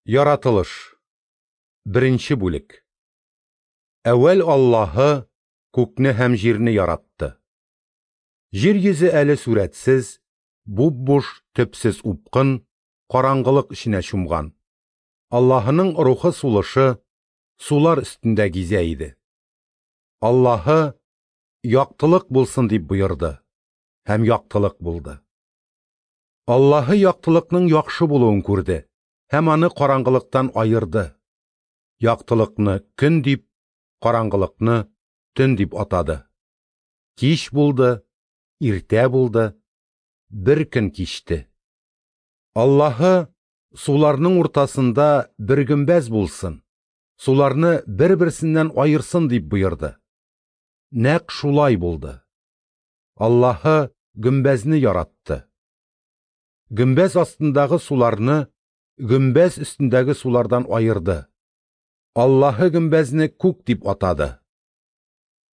Яратылыш. Беренче бүлек. Әүвәл Аллаһы күкне һәм җирне яратты. Җир йөзе әле сурәтсез, буп-буш, төпсез упкын, караңгылык эченә чумган. Аллаһының рухы сулышы сулар өстендә гизә иде. Аллаһы яктылык булсын дип боерды, һәм яктылык булды. Аллаһы яктылыкның яхшы булуын күрде һәм аны караңгылыктан аерды. Яктылыкны көн дип, караңгылыкны төн дип атады. Кич булды, иртә булды, бер көн кичте. Аллаһы суларның уртасында бер гөмбәз булсын, суларны бер-берсеннән аерсын дип боерды. Нәкъ шулай булды. Аллаһы гөмбәзне яратты. Гөмбәз астындагы суларны гөмбәз өстендәге сулардан аерды. Аллаһы гөмбәзне күк дип атады.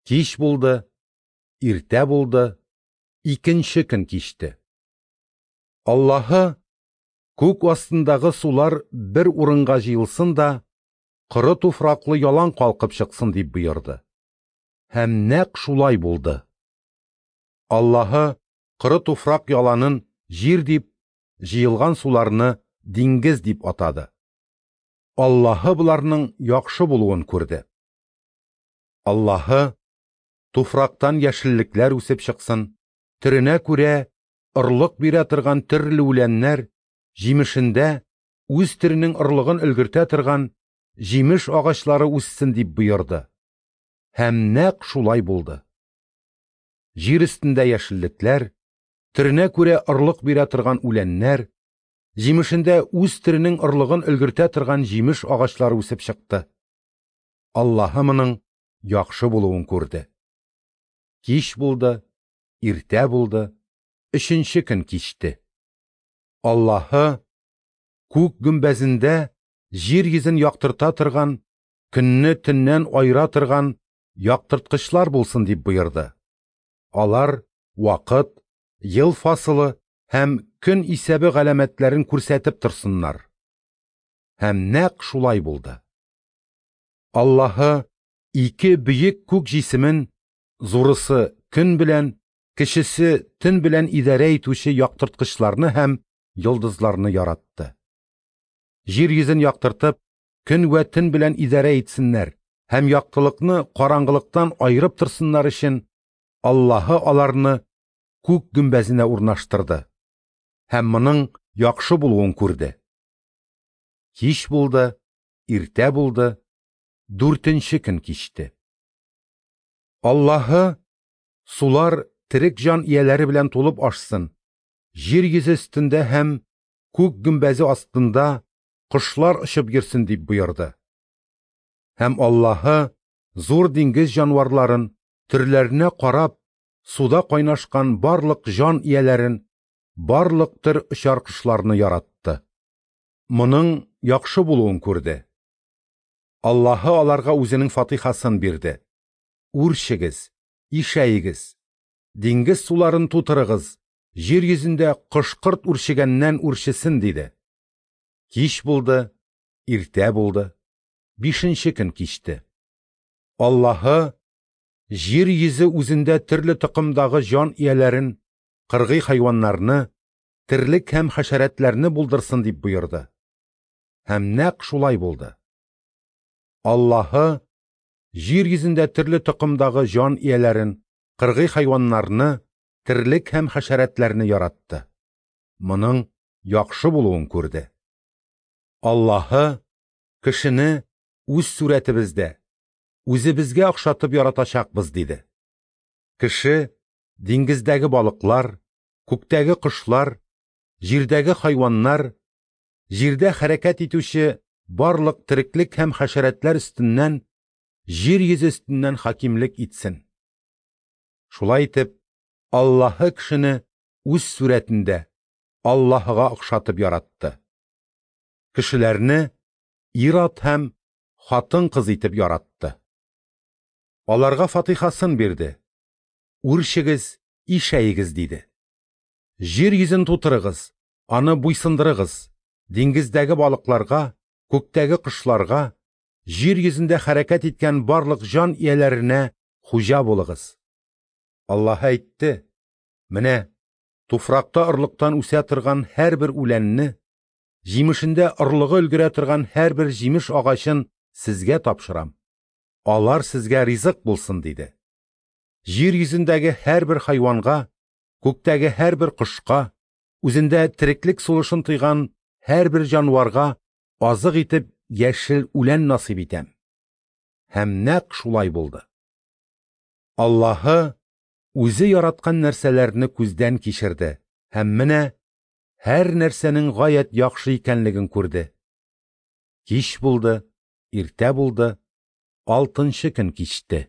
Кич булды, иртә булды, икенче көн кичте. Аллаһы күк астындагы сулар бер урынга җыелсын да, коры туфраклы ялан калкып чыксын дип боерды. Һәм нәкъ шулай булды. Аллаһы коры туфрак яланын җир дип, җыелган суларны диңгез дип атады. Аллаһы боларның яхшы булуын күрде. Аллаһы туфрактан яшеллекләр үсеп чыксын, төренә күрә орлык бирә торган төрле үләннәр, җимешендә үз төренең орлыгын өлгертә торган җимеш агачлары үссен дип боерды. Һәм нәкъ шулай булды. Җир өстендә яшеллекләр, төренә күрә орлык бирә торган үләннәр, җимешендә үз төренең орлыгын өлгертә торган җимеш агачлары үсеп чыкты. Аллаһы моның яхшы булуын күрде. Кич булды, иртә булды, өченче көн кичте. Аллаһы күк гөмбәзендә җир йөзен яктырта торган, көнне төннән аера торган яктырткычлар булсын дип боерды. Алар вакыт, ел фасылы һәм көн исәбе галәмәтләрен күрсәтеп торсыннар. Һәм нәкъ шулай булды. Аллаһы ике бөек күк җисемен, зурысы көн белән, кечесе төн белән идарә итүче яктырткычларны һәм йолдызларны яратты. Җир йөзен яктыртып, көн вә төн белән идарә итсеннәр һәм яктылыкны караңгылыктан аерып торсыннар өчен Аллаһы аларны күк гөмбәзенә урнаштырды һәм моның яхшы булуын күрде. Кич булды, иртә булды, дүртенче көн кичте. Аллаһы сулар терек җан ияләре белән тулып ашсын, җир йөзе өстендә һәм күк гөмбәзе астында кошлар очып йөрсен дип боерды. Һәм Аллаһы зур диңгез җанварларын, төрләренә карап, суда кайнашкан барлык җан ияләрен, барлык төр очар кошларны яратты. Моның яхшы булуын күрде. Аллаһы аларга үзенең фатихасын бирде. Үрчегез, ишәегез, диңгез суларын тутырыгыз, җир йөзендә кош-корт үрчегәннән үрчесен, диде. Кич булды, иртә булды, бишенче көн кичте. Аллаһы җир йөзе үзендә төрле токымдагы җан ияләрен, кыргый хайваннарны, терлек һәм хәшәрәтләрне булдырсын дип боерды. Һәм нәкъ шулай булды. Аллаһы җир йөзендә төрле токымдагы җан ияләрен, кыргый хайваннарны, терлек һәм хәшәрәтләрне яратты. Моның яхшы булуын күрде. Аллаһы кешене үз сурәтебездә, үзебезгә охшатып яратачакбыз, диде. Кеше диңгездәге балыклар, күктәге кошлар, җирдәге хайваннар, җирдә хәрәкәт итүче барлык тереклек һәм хәшәрәтләр өстеннән, җир йөзе өстеннән хакимлек итсен. Шулай итеп, Аллаһы кешене үз сурәтендә Аллаһыга охшатып яратты. Кешеләрне ир-ат һәм хатын-кыз итеп яратты. Аларга фатихасын бирде. Үрчегез, ишәегез, диде. Җир йөзен тутырыгыз, аны буйсындырыгыз, диңгездәге балыкларга, күктәге кошларга, җир йөзендә хәрәкәт иткән барлык җан ияләренә хуҗа булыгыз. Аллаһы әйтте: Менә туфракта орлыктан үсә торган һәрбер үләнне, җимешендә орлыгы өлгерә торган һәрбер җимеш агачын сезгә тапшырам. Алар сезгә ризык булсын, диде. Җир йөзендәге һәрбер хайванга, күктәге һәрбер кошка, үзендә тереклек сулышын тойган һәрбер җанварга азык итеп яшел үлән насыйп итәм. Һәм нәкъ шулай булды. Аллаһы үзе яраткан нәрсәләрне күздән кичерде һәм менә һәр нәрсәнең гаять яхшы икәнлеген күрде. Кич булды, иртә булды, алтынчы көн кичте.